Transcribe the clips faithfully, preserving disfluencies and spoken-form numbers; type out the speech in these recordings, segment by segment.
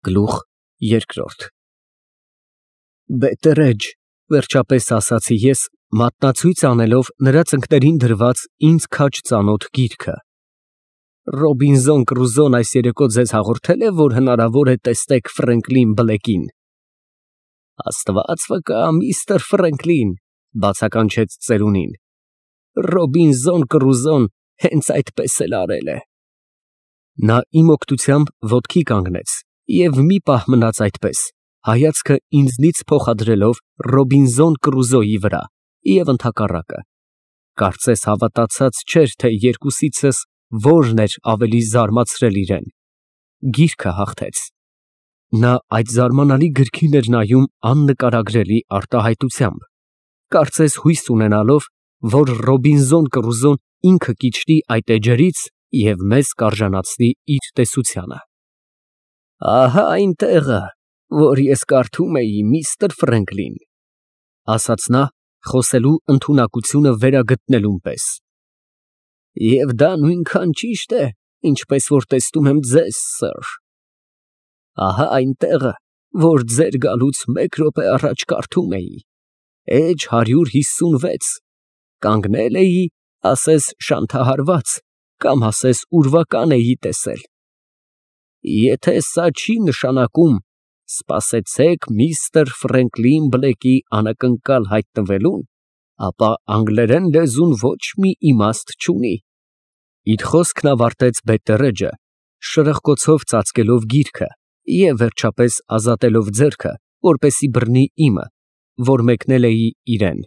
Գլուխ երկրորդ Բետերեջ, վերջապես ասացի ես, մատնացույց անելով նրա ծնկներին դրված ինձ քաջ ծանոթ գիրքը։ Ռոբինզոն Կրուզոն այս երեկո ձեզ հաղորդե՞լ է, որ հնարավոր է տեսնեք Ֆրենկլին Բլեքին։ Աստված վկա, միստր Ֆրենկլին, բացականչեց ծերունին, Ռոբինզոն Կրուզոն հենց այդպես էլ արել է։ Նա իմ օգնությամբ ոտքի կանգնեց և մի պահ մնաց այդպես, հայացքը ինձնից փոխադրելով Ռոբինզոն Կրուզոյի վրա և ընդհակառակը, կարծես հավատացած չէր, թե երկուսիցս որն էր ավելի զարմացրել իրեն, գիրքը հաղթեց։ Նա այդ զարմանալի գրքին էր նայում աննկարագրելի արտահայտությամբ, կարծես հույս ունենալով, որ Ռոբինզոն Կրուզոն ինքը կիջնի այդ էջերից և մեզ կարժանացնի իր տեսությանը։ Ահա այն տեղը, որ ես կարդում էի, միստր Ֆրենկլին, ասաց նա, խոսելու ընդունակությունը վերագտնելուն պես։ Եվ դա նույնքան ճիշտ է, ինչպես որ տեսնում եմ ձեզ, սըր։ Ահա այն տեղը, որ ձեր գալուց մեկ րոպե առաջ կարդում էի, էջ հարյուր հիսունվեց, կանգնել էի, ասես շանթահարված, կամ ասես ուրվական էի տեսել։ Եթե սա չի նշանակում «Սպասեցեք միստր Ֆրենկլին Բլեքի անակնկալ հայտնվելուն», ապա անգլերեն լեզուն ոչ մի իմաստ չունի։ Իր խոսքն ավարտեց Բետտերեջը, շրխկոցով ծածկելով գիրքը և վերջապես ազատելով ձեռքը, որպեսզի բռնի իմը, որ մեկնել էի իրան։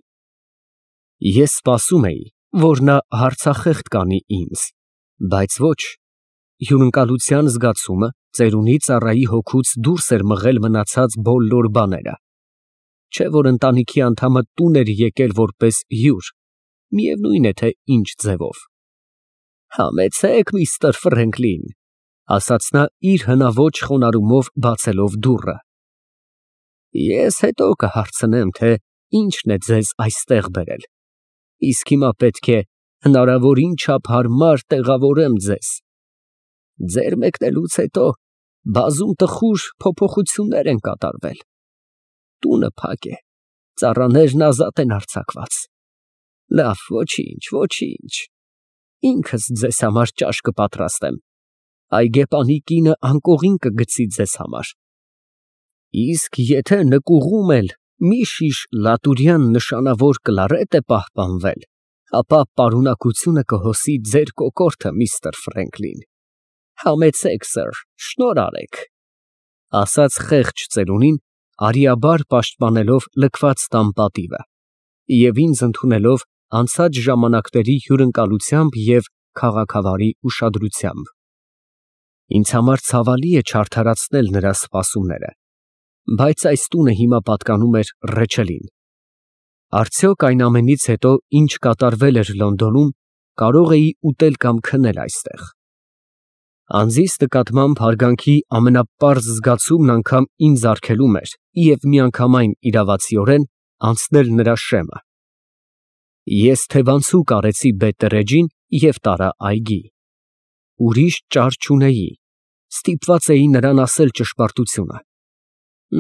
Ես սպասում էի, որ նա հարցախեղդ կանի ինձ, բայց ոչ, հյուրընկալության զգացումը ծերունի ծառայի հոգուց դուրս էր մղել մնացած բոլոր բաները, չէ՞ որ ընտանիքի անդամը տուն էր եկել որպես հյուր, միևնույն է, թե ինչ ձևով։ Համեցեք, միստր Ֆրենկլին, ասաց նա իր հնաոճ խոնարհումով բացելով դուռը։ Ես հետո կհարցնեմ, թե ինչն է ձեզ այստեղ բերել, իսկ հիմա պետք է հնարավորին չափ հարմար տեղավորեմ ձեզ։ Ձեր մեկնելուց հետո բազում տխուր փոփոխություններ են կատարվել։ Տունը փակ է, ծառաներն ազատ են արձակված։ Լավ, ոչինչ, ոչինչ, ինքս ձեզ համար ճաշ կպատրաստեմ, այգեպանի կինը անկողին կգցի ձեզ համար։ Իսկ եթե նկուղում էլ մի շիշ լատուրյան նշանավոր կլարետ է պահպանվել, ապա պարունակությունը կհոսի ձեր կոկորդը, միստր Ֆրենկլին։ Համեցեք, սըր, շնորհ արեք, ասաց խեղճ ծերունին, արիաբար պաշտպանելով լքված տան պատիվը և ինձ ընդունելով անցած ժամանակների հյուրընկալությամբ և քաղաքավարի ուշադրությամբ։ Ինձ համար ցավալի է չարդարացնել նրա սպասումները, բայց այս տունը հիմա պատկանում էր Ռեչելին։ Արդյոք այն ամենից հետո, ինչ կատարվել էր Լոնդոնում, կարող էի ուտել կամ քնել այստեղ։ Անձիս նկատմամբ հարգանքի ամենապարզ զգացումն անգամ ինձ արգելում էր և միանգամայն իրավացիորեն անցնել նրա շեմը։ Ես թևանցուկ արեցի Բետտերեջին և տարա այգի։ Ուրիշ ճար չունեի, ստիպված էի նրան ասել ճշմարտությունը։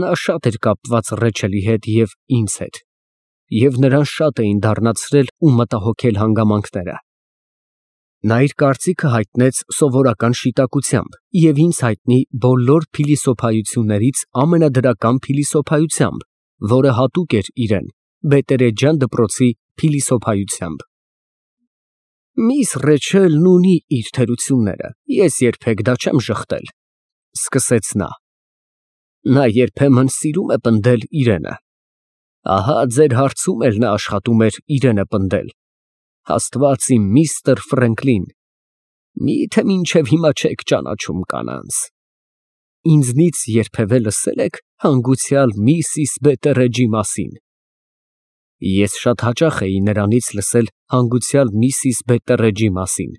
Նա շատ էր կապված Ռեչելի հետ և ինձ հետ, և նրան շատ էին դառնացրել ու մտահոգել հանգամանքները։ Նա իր կարծիքը հայտնեց սովորական շիտակությամբ և ինձ հայտնի բոլոր փիլիսոփայություններից ամենադրական փիլիսոփայությամբ, որը հատուկ էր իրան, բետտերեջյան դպրոցի փիլիսոփայությամբ։ Միս Ռեչելն ունի իր թերությունները, ես երբեք դա չեմ ժխտել, սկսեց նա։ Նա երբեմն սիրում է պնդել իրենը։ Ահա ձեր հարցում էլ նա աշխատում էր իրենը պնդել։ Աստված իմ, միստր Ֆրենկլին, մի՞թե մինչև հիմա չեք ճանաչում կանանց։ Ինձնից երբևէ լսե՞լ եք հանգուցյալ միսիս Բետտերեջի մասին։ Ես շատ հաճախ էի նրանից լսել հանգուցյալ միսիս Բետտերեջի մասին։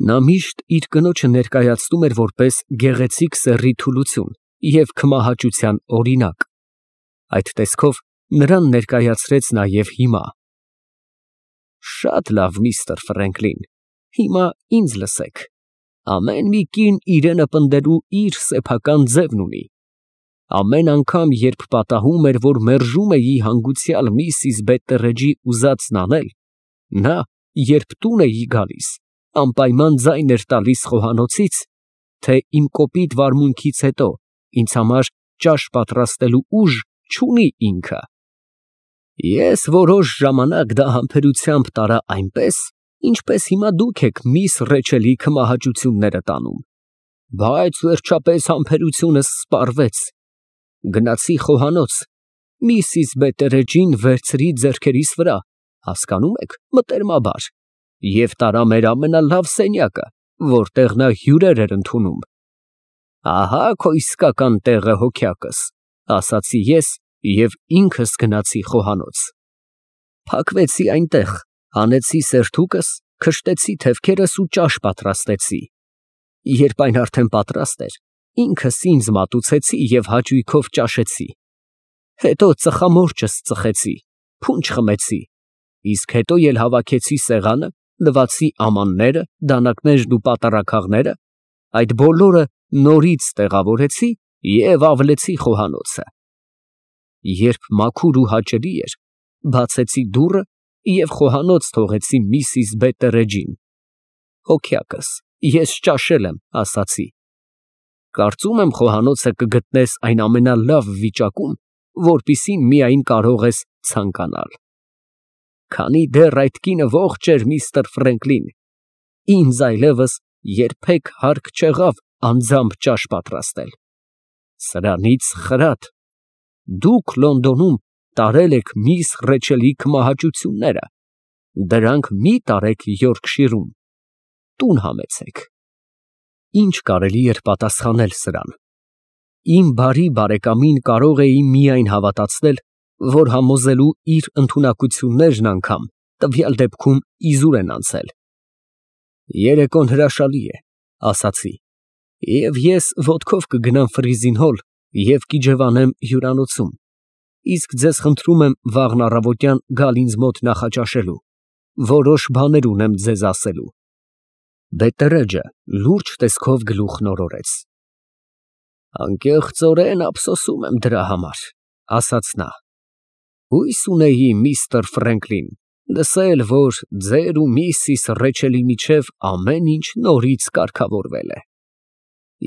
Նա միշտ իր կնոջը ներկայացնում էր որպես գեղեցիկ սեռի թուլություն և քմահաճության օրինակ։ Այդ տեսքով նրան ներկայացրեց նաև հիմա։ Շատ լավ, միստր Ֆրենկլին, հիմա ինձ լսեք։ Ամեն մի կին իրենը պնդելու իր սեփական ձևն ունի։ Ամեն անգամ, երբ պատահում էր, որ մերժում էի հանգուցյալ միսիս Բետտերեջի ուզածն անել, նա, երբ տուն էի գալիս, անպայման ձայն էր տալիս խոհանոցից, թե իմ կոպիտ վարմունքից հետո ինձ համար ճաշ պատրաստելու ուժ չունի ինքը։ Ես որոշ ժամանակ դա համբերությամբ տարա այնպես, ինչպես հիմա դուք եք միս Ռեչելի քմահաճությունները տանում, բայց վերջապես համբերությունս սպառվեց։ Գնացի խոհանոց, միսիս Բետտերեջին վերցրի ձեռքերիս վրա, հասկանում եք, մտերմաբար, և տարա մեր ամենալավ սենյակը, որտեղ նա հյուրեր էր ընդունում։ Ահա քո իսկական տեղը, հոգյակս, ասացի ես և ինքս գնացի խոհանոց։ Փակվեցի այնտեղ, հանեցի սերթուկս, քշտեցի թևքերս ու ճաշ պատրաստեցի։ Երբ այն արդեն պատրաստ էր, ինքս ինձ մատուցեցի և հաճույքով ճաշեցի։ Հետո ծխամորճս ծխեցի, փունջ խմեցի, իսկ հետո էլ հավաքեցի սեղանը, լվացի ամանները, դանակներն ու պատառաքաղները, այդ բոլորը նորից տեղավորեցի և ավլեցի խոհանոցը։ Երբ մաքուր ու հաճելի էր, բացեցի դուռը և խոհանոց թողեցի միսիս Բետտերեջին։ Հոգյակս, ես ճաշել եմ, ասացի։ Կարծում եմ խոհանոցը կգտնես այն ամենալավ վիճակում, որպիսի միայն կարող ես ցանկանալ։ Քանի դեռ այդ կինը ողջ էր, միստր Ֆրենկլին, ինձ այլևս երբեք հարկ չեղավ անձամբ ճաշ պատրաստել։ Սրանից խրատ, դուք Լոնդոնում տարել եք միս Ռեչելի քմահաճությունները, դրանք մի տարեք Յորքշիրում, տուն համեցեք։ Ինչ կարելի էր պատասխանել սրան։ Իմ բարի բարեկամին կարող էի միայն հավատացնել, որ համոզելու իր ընդունակություններն անգամ տվյալ դեպքում իզուր են անցել։ Երեկոն հրաշալի է, ասացի, և ես ոտքով կգնամ Ֆրիզին Հոլ և կիջևանեմ հյուրանոցում, իսկ ձեզ խնդրում եմ վաղն առավոտյան գալ ինձ մոտ նախաճաշելու, որոշ բաներ ունեմ ձեզ ասելու։ Բետտերեջը լուրջ տեսքով գլուխ նորորեց։ Անկեղծորեն ափսոսում եմ դրա համար, ասաց նա։ Հույս ունեի, միստր Ֆրենկլին, լսել, որ ձեր ու միսիս Ռեչելի միջև ամեն ինչ նորից կարգավորվել է։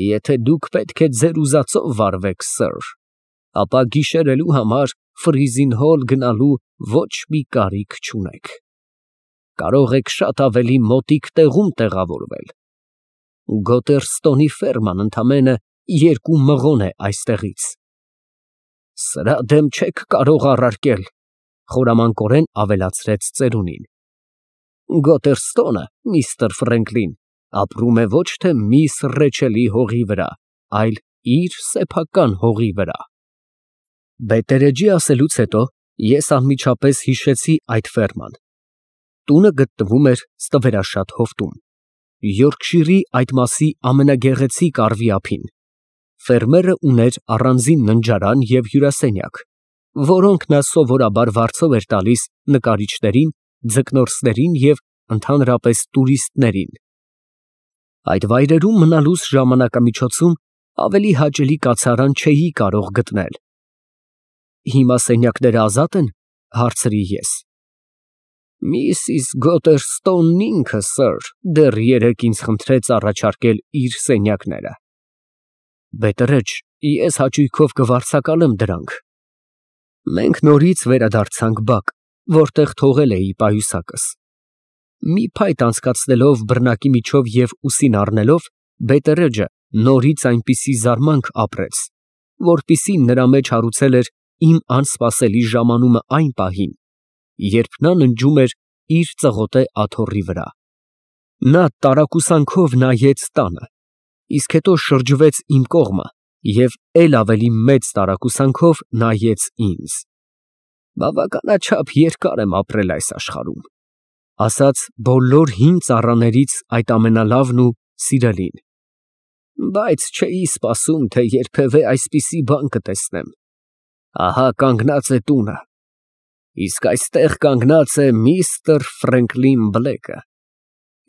Եթե դուք պետք է ձեր ուզածով վարվեք, սըր, ապա գիշերելու համար Ֆրիզին Հոլ գնալու ոչ մի կարիք չունեք։ Կարող եք շատ ավելի մոտիկ տեղում տեղավորվել։ Գոտերստոնի ֆերման ընդամենը երկու մղոն է այստեղից։ Սրա դեմ չեք կարող առարկել, խորամանկորեն ավելացրեց ծերունին։ Գոտերստոնը, միստր Ֆրենկլին, ապրում է ոչ թե միս Ռեչելի հողի վրա, այլ իր սեփական հողի վրա։ Բետտերեջի ասելուց հետո ես անմիջապես հիշեցի այդ ֆերման։ Տունը գտնվում էր Ստվերաշատ հովտում, Յորքշիրի այդ մասի ամենագեղեցիկ առվի ափին։ Ֆերմերը ուներ առանձին ննջարան և հյուրասենյակ, որոնք նա սովորաբար վարձով էր տալիս նկարիչներին, ձկնորսներին և ընդհանրապես տուրիստներին։ Այդ վայրերում մնալուս ժամանակամիջոցում ավելի հաճելի կացարան չէի կարող գտնել։ Հիմա սենյակները ազատ են, հարցրի ես։ Միսիս Գոտերստոնն ինքը, սըր, դեռ երեկ ինձ խնդրեց առաջարկել իր սենյակները։ Բետտերեջ, ես հաճույքով կվարձակալեմ դրանք։ Մենք նորից վերադարձանք բակ, որտեղ թողել էի պայուսակս։ Մի փայտ անցկացնելով բռնակի միջով և ուսին առնելով, Բետտերեջը նորից այնպիսի զարմանք ապրեց, որպիսի նրա մեջ հարուցել էր իմ անսպասելի ժամանումը այն պահին, երբ նա ննջում էր իր ծղոտե աթոռի վրա։ Նա տարակուսանքով նայեց տանը, իսկ հետո շրջվեց իմ կողմը և էլ ավելի մեծ տարակուսանքով նայեց ինձ։ Բավականաչափ երկար եմ ապրել այս աշխարհում, ասաց բոլոր հին ծառաներից այդ ամենալավն ու սիրելին, բայց չէի սպասում, թե երբևէ այսպիսի բան կտեսնեմ։ Ահա կանգնած է տունը, իսկ այստեղ կանգնած է միստր Ֆրենկլին Բլեքը։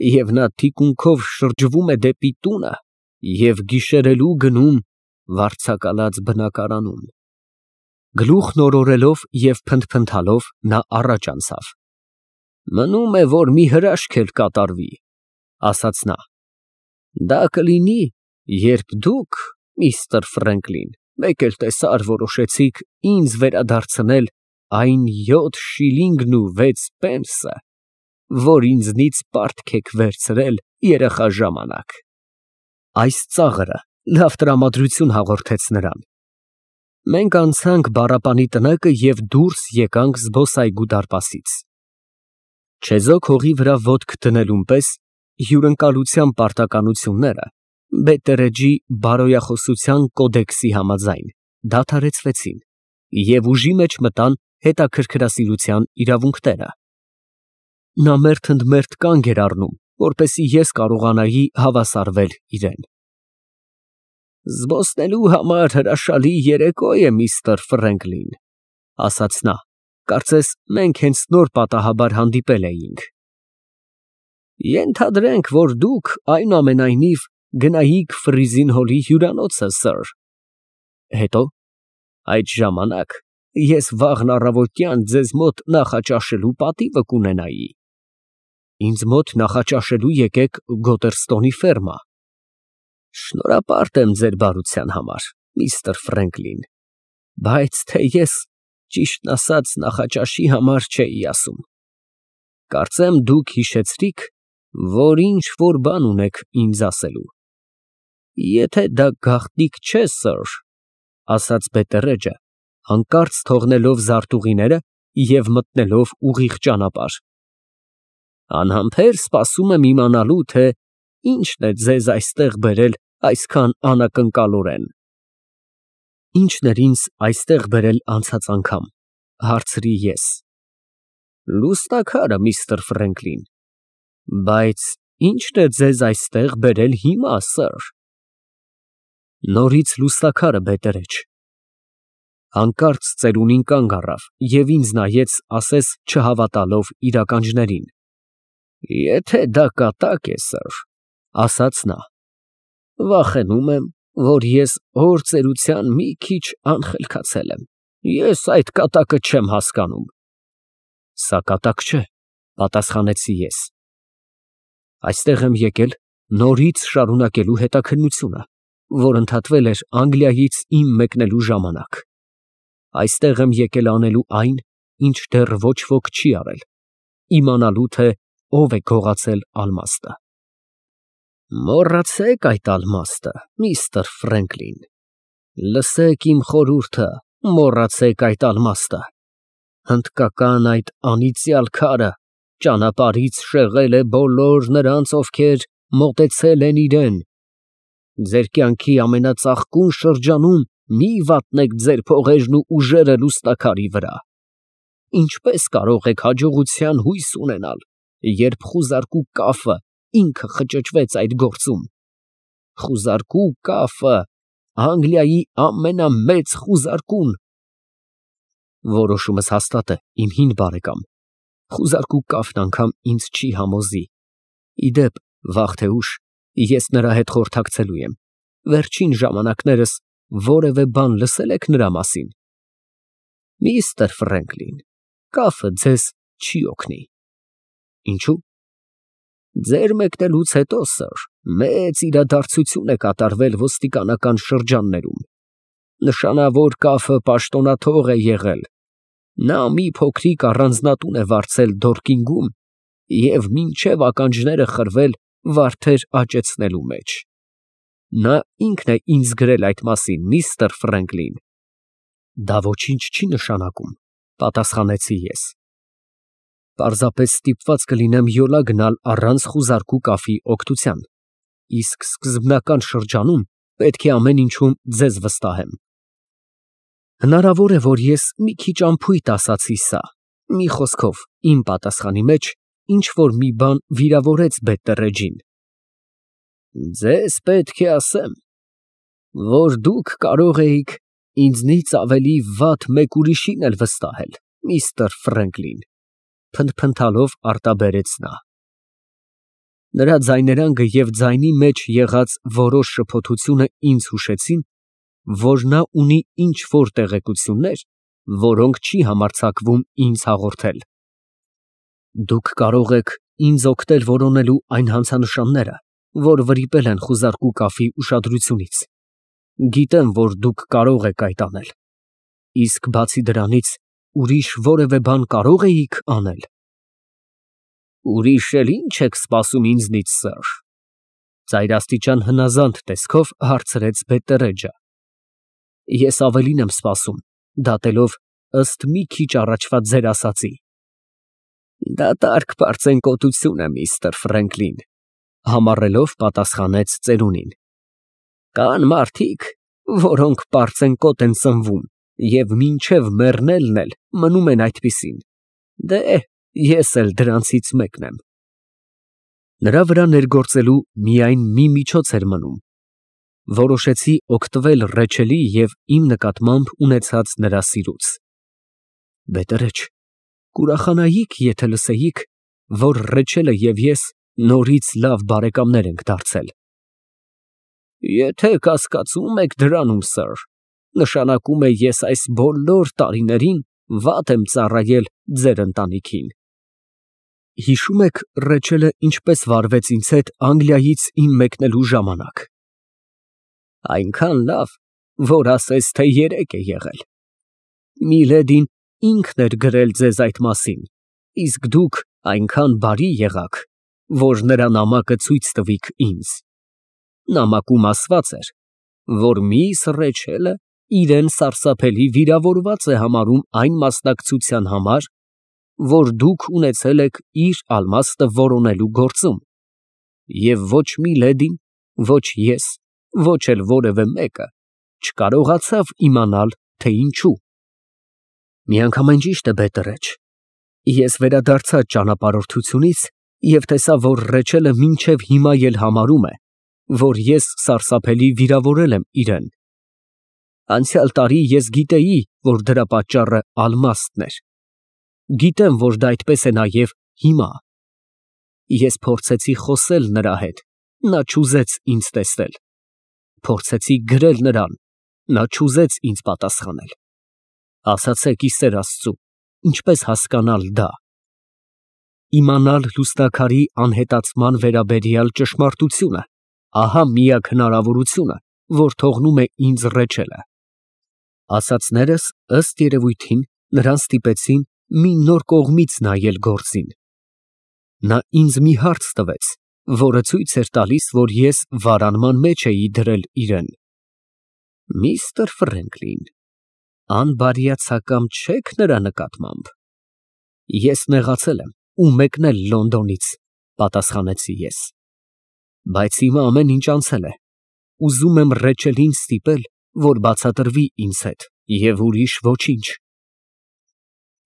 Եվ նա թիկունքով շրջվում է դեպի տունը և գիշերելու գնում վարձակալած բնակարանում։ Գլուխն օրորելով և փնթփնթալով նա առաջ անցավ։ Մնում է, որ մի հրաշք էլ կատարվի, ասաց նա։ Դա կլինի, երբ դուք, միստր Ֆրենկլին, մեկ էլ տեսար որոշեցիք ինձ վերադարձնել այն յոթ շիլինգն ու վեց պենսը, որ ինձնից պարտք եք վերցրել երեխա ժամանակ։ Այս ծաղրը լավ տրամադրություն հաղորդեց նրան։ Մենք անցանք բառապանի տնակը և դուրս եկանք զբոսայգու դարպասից։ Չեզոք հողի վրա ոտք դնելուն պես հյուրընկալության պարտականությունները Բետտերեջի բարոյախոսության կոդեքսի համաձայն դադարեցվեցին և ուժի մեջ մտան հետաքրքրասիրության իրավունքները։ Նա մերթ ընդ մերթ կանգ էր առնում, որպեսզի ես կարողանայի հավասարվել իրան։ Զբոսնելու համար հրաշալի երեկո է, միստր Ֆրենկլին, ասաց նա, կարծես մենք հենց նոր պատահաբար հանդիպել էինք։ Ենթադրենք, որ դուք այնուամենայնիվ գնայիք Ֆրիզին Հոլի հյուրանոցը, սըր։ Հետո, այդ ժամանակ ես վաղն առավոտյան ձեզ մոտ նախաճաշելու պատիվը կունենայի։ Ինձ մոտ նախաճաշելու եկեք Գոտերստոնի ֆերմա։ Շնորհապարտ եմ ձեր բարության համար, միստր Ֆրենկլին, բայց թե ես, ճիշտն ասած, նախաճաշի համար չէի ասում։ Կարծեմ դուք հիշեցրիք, որ ինչ֊որ բան ունեք ինձ ասելու։ Եթե դա գաղտնիք չէ, սըր, ասաց Բետտերեջը, հանկարծ թողնելով զարտուղիները և մտնելով ուղիղ ճանապարհ։ Անհամբեր սպասում եմ իմանալու, թե ինչն է ձեզ այստեղ բերել այսքան անակնկալորեն։ Ի՞նչն էր ինձ այստեղ բերել անցած անգամ, հարցրի ես։ Լուսանկարը, միստր Ֆրենկլին։ Բայց ի՞նչն է ձեզ այստեղ բերել հիմա, սըր։ Նորից լուսանկարը, Բետտերեջ։ Հանկարծ ծերունին կանգ առավ և ինձ նայեց, ասես չհավատալով իր ականջներին։ Եթե դա կատակ է, սըր, ասաց նա, վախենում եմ, որ ես հոր ծերության մի քիչ անխելքացել եմ։ Ես այդ կատակը չեմ հասկանում։ Սա կատակ չէ, պատասխանեցի ես։ Այստեղ եմ եկել նորից շարունակելու հետաքննությունը, որ ընդհատվել էր Անգլիայից իմ մեկնելու ժամանակ։ Այստեղ եմ եկել անելու այն, ինչ դեռ ոչ ոք չի արել, իմանալու, թե ով է գողացել ալմաստը։ Մոռացեք այդ ալմաստը, միստր Ֆրենկլին, լսեք իմ խորհուրդը, մոռացեք այդ ալմաստը։ Հնդկական այդ անիծյալ քարը ճանապարհից շեղել է բոլոր նրանց, ովքեր մոտեցել են իրան։ Ձեր կյանքի ամենածաղկուն շրջանում մի վատնեք ձեր փողերն ու ուժերը լուսանկարի վրա։ Ինչպես կարող եք հաջողության հույս ունենալ, երբ խուզարկու կաֆը ինքը խճճվեց այդ գործում։ Խուզարկու կաֆը, Անգլիայի ամենամեծ խուզարկուն։ Որոշումս հաստատ է, իմ հին բարեկամ, խուզարկու կաֆն անգամ ինձ չի համոզի։ Ի դեպ, վաղ թե ուշ ես նրա հետ խորհրդակցելու եմ։ Վերջին ժամանակներս որևէ բան լսե՞լ եք նրա մասին։ Միստր Ֆրենկլին, կաֆը ձեզ չի օգնի։ Ինչո՞ւ։ Ձեր մեկնելուց հետո, սըր, մեծ իրադարձություն է կատարվել ոստիկանական շրջաններում։ Նշանավոր կաֆը պաշտոնաթող է եղել։ Նա մի փոքրիկ առանձնատուն է վարձել Դորքինգում և մինչև ականջները խրվել վարդեր աճեցնելու մեջ։ Նա ինքն է ինձ գրել այդ մասին, միստր Ֆրենկլին։ Դա ոչինչ չի նշանակում, պատասխանեցի ես։ Պարզապես ստիպված կլինեմ յոլա գնալ առանց խուզարկու կաֆի օգնության, իսկ սկզբնական շրջանում պետք է ամեն ինչում ձեզ վստահեմ։ Հնարավոր է, որ ես մի քիչ անփույթ ասացի սա, մի խոսքով, իմ պատասխանի մեջ ինչ֊որ մի բան վիրավորեց Բետտերեջին։ Ձեզ պետք է ասեմ, որ դուք կարող էիք ինձնից ավելի վատ մեկ ուրիշին էլ վստահել, միստր Ֆրենկլին, փնթփնթալով արտաբերեց նա։ Նրա ձայներանգը և ձայնի մեջ եղած որոշ շփոթությունը ինձ հուշեցին, որ նա ունի ինչ֊որ տեղեկություններ, որոնք չի համարձակվում ինձ հաղորդել։ Դուք կարող եք ինձ օգնել որոնելու այն հանցանշանները, որ վրիպել են խուզարկու կաֆի ուշադրությունից։ Գիտեմ, որ դուք կարող եք այդ անել, իսկ բացի դրանից ուրիշ որևէ բան կարո՞ղ էիք անել։ Ուրիշ էլ ի՞նչ եք սպասում ինձնից, սըր, ծայրաստիճան հնազանդ տեսքով հարցրեց Բետտերեջը։ Ես ավելին եմ սպասում, դատելով ըստ մի քիչ առաջվա ձեր ասածի։ Դատարկ պարծենկոտություն է, միստր Ֆրենկլին, համառելով պատասխանեց ծերունին։ Կան մարդիկ, որոնք պարծենկոտ են ծնվում և մինչև մեռնելն էլ մնում են այդպիսին։ Դե, ես էլ դրանցից մեկն եմ։ Նրա վրա ներգործելու միայն մի միջոց էր մնում։ Որոշեցի օգտվել Ռեչելի և իմ նկատմամբ ունեցած նրա սիրուց։ Բետտերեջ, կուրախանայիք, եթե լսեիք, որ Ռեչելը և ես նորից լավ բարեկամներ ենք դարձել։ Եթե կասկածում եք դրանում, սըր, նշանակում է ես այս բոլոր տարիներին վատ եմ ծառայել ձեր ընտանիքին։ Հիշո՞ւմ եք Ռեչելը ինչպես վարվեց ինձ հետ Անգլիայից իմ մեկնելու ժամանակ։ Այնքան լավ, որ ասես թե երեկ է եղել։ Միլեդին ինքն էր գրել ձեզ այդ մասին, իսկ դուք այնքան բարի եղաք, որ նրա նամակը ցույց տվիք ինձ։ Նամակում ասված էր, որ միս Ռեչելը իրեն սարսափելի վիրավորված է համարում այն մասնակցության համար, որ դուք ունեցել եք իր ալմաստը որոնելու գործում, և ոչ Միլեդին, ոչ ես, ոչ էլ որևէ մեկը չկարողացավ իմանալ, թե ինչու։ Միանգամայն ճիշտ է, Բետտերեջ, ես վերադարձա ճանապարհորդությունից և տեսա, որ Ռեչելը մինչև հիմա էլ համարում է, որ ես սարսափելի վիրավորել եմ իրեն։ Անցյալ տարի ես գիտեի, որ դրա պատճառը ալմաստն էր։ Գիտեմ, որ դա այդպես է նաև հիմա։ Ես փորձեցի խոսել նրա հետ, նա չուզեց ինձ տեսնել։ Փորձեցի գրել նրան, նա չուզեց ինձ պատասխանել։ Ասացեք, ի սեր Աստծու, ինչպես հասկանալ դա։ Իմանալ լուսնաքարի անհետացման վերաբերյալ ճշմարտությունը, ահա միակ հնարավորությունը, որ թողնում է ինձ Ռեչելը։ Ասածներս, ըստ երևույթին, նրան ստիպեցին մի նոր կողմից նայել գործին։ Նա ինձ մի հարց տվեց, որը ցույց էր տալիս, որ ես վարանման մեջ էի դրել իրեն։ Միստր Ֆրենկլին, անբարյացակամ չե՞ք նրա նկատմամբ։ Ես նեղացել եմ ու մեկնել Լոնդոնից, պատասխանեցի ես։ Բայց հիմա ամեն ինչ անցել է։ Ուզում եմ Ռեչելին ստիպել, որ բացատրվի ինձ հետ, և ուրիշ ոչինչ։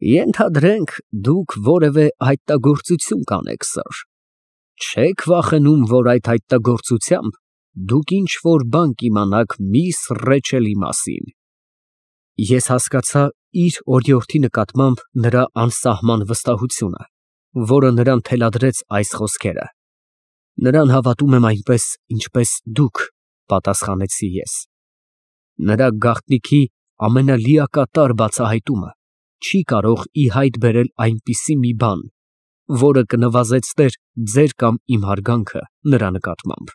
Ենթադրենք, դուք որևէ հայտագործություն կանեք, սըր։ Չե՞ք վախենում, որ այդ հայտագործությամբ դուք ինչ֊որ բան կիմանաք միս Ռեչելի մասին։ Ես հասկացա իր օրիորդի նկատմամբ նրա անսահման վստահությունը, որը նրան թելադրեց այս խոսքերը։ Նրան հավատում եմ այնպես, ինչպես դուք, պատասխանեցի ես։ Նրա գաղտնիքի ամենալիակատար բացահայտումը չի կարող ի հայտ բերել այնպիսի մի բան, որը կնվազեցներ ձեր կամ իմ հարգանքը նրա նկատմամբ։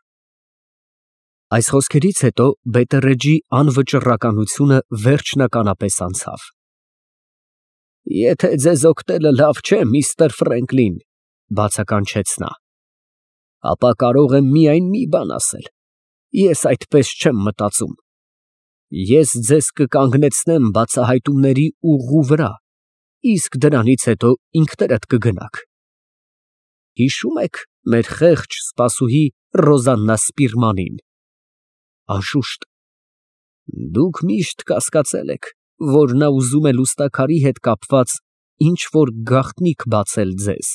Այս խոսքերից հետո Բետտերեջի անվճռականությունը վերջնականապես անցավ։ Եթե ձեզ օգնելը լավ չէ, միստր Ֆրենկլին, բացականչեց նա, ապա կարող եմ միայն մի բան ասել. ես այդպես չեմ մտածում։ Ես ձեզ կկանգնեցնեմ բացահայտումների ուղու վրա, իսկ դրանից հետո ինքներդ կգնաք։ Հիշո՞ւմ եք մեր խեղճ սպասուհի Ռոզաննա Սպիրմանին։ Անշուշտ։ Դուք միշտ կասկածել եք, որ նա ուզում է լուսնաքարի հետ կապված ինչ֊որ գաղտնիք բացել ձեզ։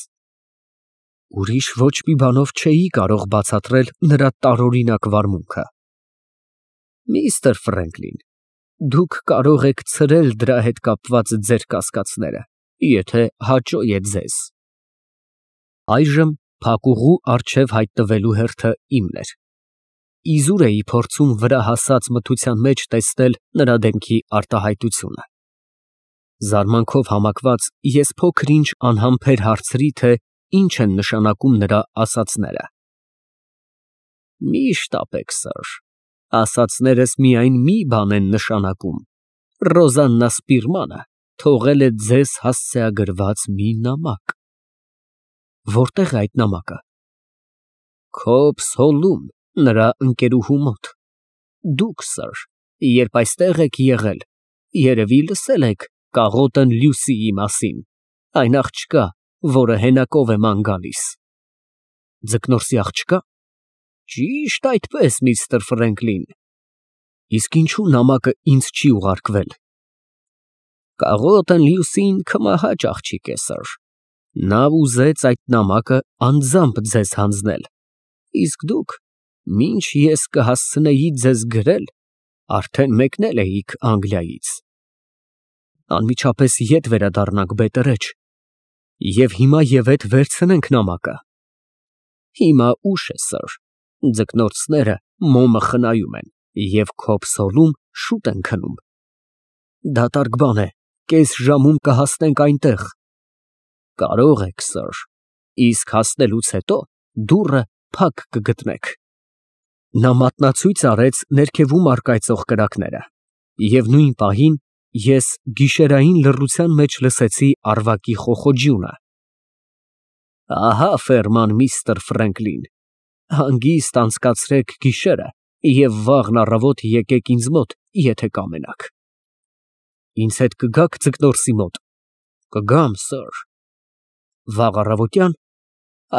Ուրիշ ոչ մի բանով չէի կարող բացատրել նրա տարօրինակ վարմունքը։ Միստր Ֆրենկլին, դուք կարող եք ցրել դրա հետ կապված ձեր կասկածները, եթե հաճո է ձեզ։ Այժմ Փակուղու առջև հայտնվելու հերթը իմն էր։ Իզուր էի փորձում վրա հասած մթության մեջ տեսնել նրա դեմքի արտահայտությունը։ Զարմանքով համակված ես փոքր-ինչ անհամբեր հարցրի, թե ինչ են նշանակում նրա ասածները։ Մի շտապեք, սըր, ասածներս միայն մի բան են նշանակում. Ռոզաննա Սպիրմանը թողել է ձեզ հասցեագրված մի նամակ։ Որտե՞ղ է այդ նամակը։ Քո փսոլում, նրա ընկերուհու մոտ։ Դուք, սըր, երբ այստեղ եք եղել, երևի լսել եք կաղոտն Լյուսիի մասին, այն աղջկա, որը հենակով է ման գալիս։ Ձկնորսի աղջկա։ Ճիշտ այդպես, միստր Ֆրենկլին։ Իսկ ինչու նամակը ինձ չի ուղարկվել։ Կաղոտն Լյուսին քմահաճ աղջիկ է, սըր։ Նա ուզեց այդ նամակը անձամբ ձեզ հանձնել, իսկ դուք, մինչ ես կհասցնեի ձեզ գրել, արդեն մեկնել էիք Անգլիայից։ Անմիջապես ետ վերադառնանք բետերեջ և հիմա ևեթ վերցնենք նամակը։ Հիմա ուշ է, սըր, ձկնորսները մոմը խնայում են և քո փսոլում շուտ են քնում։ Դատարկ բան է, կես ժամում կհասնենք այնտեղ։ Կարող եք, սըր, իսկ հասնելուց հետո դուռը փակ կգտնեք։ Նա մատնացույց արեց ներքևում առկայծող կրակները, և նույն պահին ես գիշերային լռության մեջ լսեցի առվակի խոխոջյունը։ Ահա ֆերման, միստր Ֆրենկլին, հանգիստ անցկացրեք գիշերը և վաղն առավոտ եկեք ինձ մոտ, եթե կամենաք։ Ինձ հետ կգա՞ք ձկնորսի մոտ։ Կգամ, սըր։ Վաղ առավոտյա՞ն։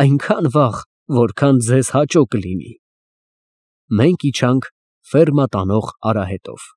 Այնքան վաղ, որքան ձեզ հաճո կլինի։ Մենք իջանք ֆերմա տանող արահետով։